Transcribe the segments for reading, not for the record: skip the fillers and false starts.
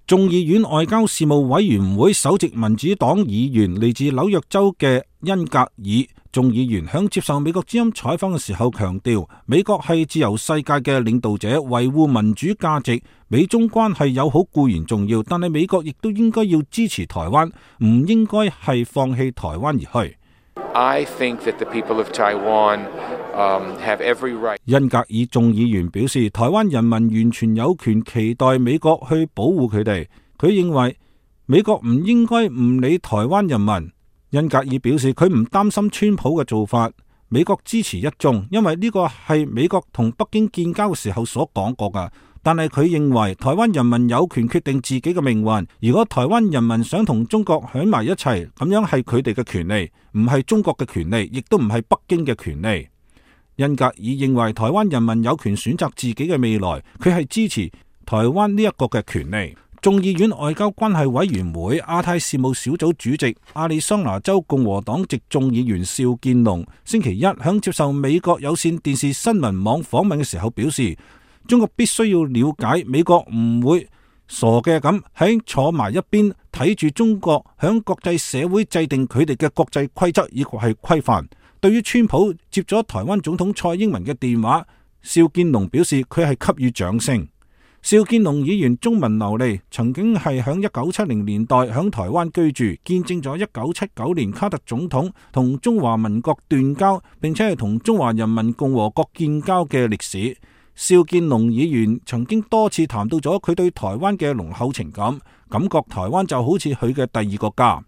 眾議院外交事務委員會首席民主黨議員嚟自紐約州嘅恩格爾眾議員響接受美國之音採訪嘅時候強調，美國係自由世界嘅領導者，維護民主價值，美中關係友好固然重要，但係美國亦都應該要支持台灣，唔應該係放棄台灣而去。I think that the people of Taiwan have every right. 恩格爾眾議員表示，台灣人民完全有權期待美國去保護佢哋。佢認為美國唔應該唔理台灣人民。恩格爾表示，佢唔擔心川普嘅做法，美國支持一中，因為呢個係美國同北京建交嘅時候所講過㗎。但係佢認為台灣人民有權決定自己嘅命運。如果台灣人民想同中國喺埋一齊，咁樣係佢哋嘅權利，唔係中國嘅權利，亦都唔係北京嘅權利。恩格爾認為台灣人民有權選擇自己嘅未來，佢係支持台灣呢一個嘅權利。眾議院外交關係委員會亞太事務小組主席亞利桑那州共和黨籍眾議員邵建龍星期一響接受美國有線電視新聞網訪問嘅時候表示，中國必須要了解美國唔會傻嘅咁喺坐埋一邊睇住中國響國際社會制定佢哋嘅國際規則以及係規範。對於川普接咗台灣總統蔡英文嘅電話，邵建龍表示佢係給予掌聲。邵建龍議員中文流利，曾經係響1970年代響台灣居住，見證咗1979年卡特總統同中華民國斷交，並且係同中華人民共和國建交嘅歷史。邵建龍議員曾經多次談到咗佢對台灣嘅濃厚情感，感覺台灣就好似佢嘅第二個家。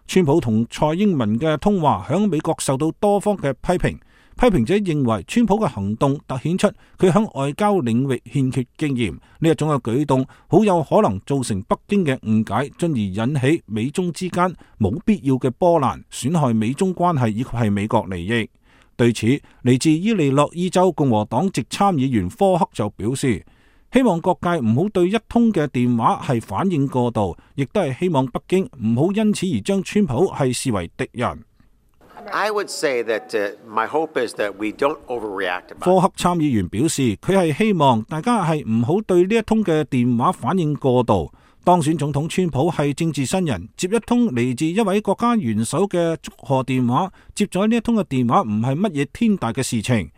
川普同蔡英文嘅通話響美國受到多方嘅批評，批評者認為川普嘅行動凸顯出佢響外交領域欠缺經驗，呢一種嘅舉動好有可能造成北京嘅誤解，進而引起美中之間冇必要嘅波瀾，損害美中關係以及係美國利益。對此，嚟自伊利諾伊州共和黨籍參議員科克就表示，希望各界唔好對一通嘅電話係反應過度，亦都係希望北京唔好因此而將川普係視為敵人。I would say that my hope is that we don't overreact. 科克參議員表示，佢係希望大家係唔好對呢一通嘅電話反應過度。當選總統川普係政治新人，接一通嚟自一位國家元首嘅祝賀電話，接咗呢一通嘅電話唔係乜嘢天大嘅事情。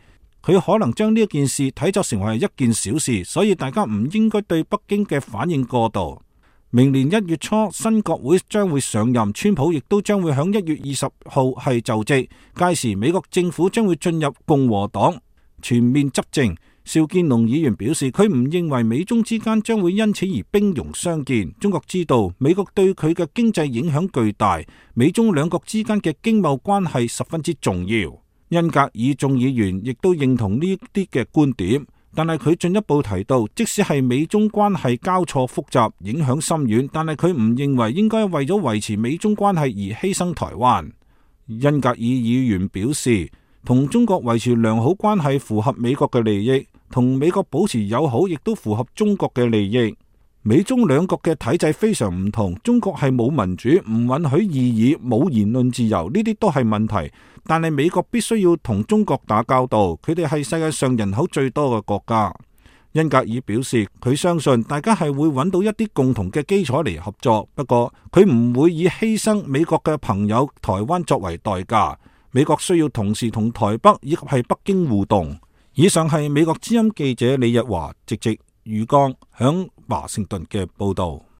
佢可能將呢一件事睇作成為一件小事，所以大家唔應該對北京嘅反應過度。明年1月初新國會將會上任，川普亦都將會響1月20號係就職，屆時美國政府將會進入共和黨全面執政。邵建龍議員表示，佢唔認為美中之間將會因此而兵戎相見。中國知道美國對佢嘅經濟影響巨大，美中兩國之間嘅經貿關係十分之重要。恩格爾眾議員亦都認同呢啲嘅觀點，但係佢進一步提到，即使係美中關係交錯複雜、影響深遠，但係佢唔認為應該為咗維持美中關係而犧牲台灣。恩格爾議員表示，同中國維持良好關係符合美國嘅利益，同美國保持友好亦都符合中國嘅利益。美中兩國嘅體制非常唔同，中國係冇民主，唔允許異議，冇言論自由，呢啲都係問題。但係美國必須要同中國打交道，佢哋係世界上人口最多嘅國家。恩格爾表示，佢相信大家係會揾到一啲共同嘅基礎嚟合作，不過佢唔會以犧牲美國嘅朋友台灣作為代價。美國需要同時同台北以及係北京互動。以上係美國之音記者李日華直譯余剛響華盛頓嘅報道。